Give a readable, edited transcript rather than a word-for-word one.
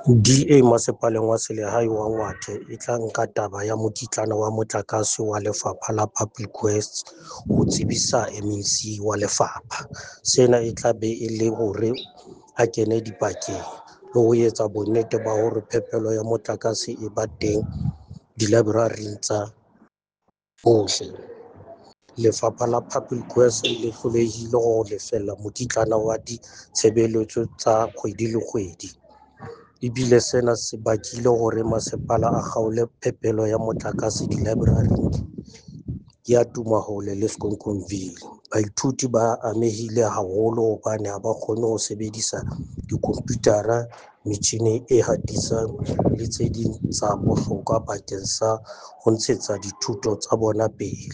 DA Masepaleng wa Selehae wa Ngwathe e tla nka taba ya mokitlana wa motlakase wa Lefapha la Public Works ho tsebisa MEC wa lefapha. Sena e tla be e le hore a kene dipakeng le ho etsa bonnete ba hore phepelo ya motlakase e ba teng dilaeboraring tsa bohle. Lefapha la Public Works le hlolehile ho lefella mokitlana wa ditshebeletso tsa kgwedi le kgwedi. Ebile sena se bakile hore masepala a kgaole phepelo ya motlakase dilaeboraring ya Tumahole le Skonkomville. Baithuti ba amehile haholo hobane ha ba kgone ho sebedisa dikomputara, metjhine e hatisang le tse ding tsa bohlokwa bakeng sa ho ntshetsa dithuto tsa bona pele.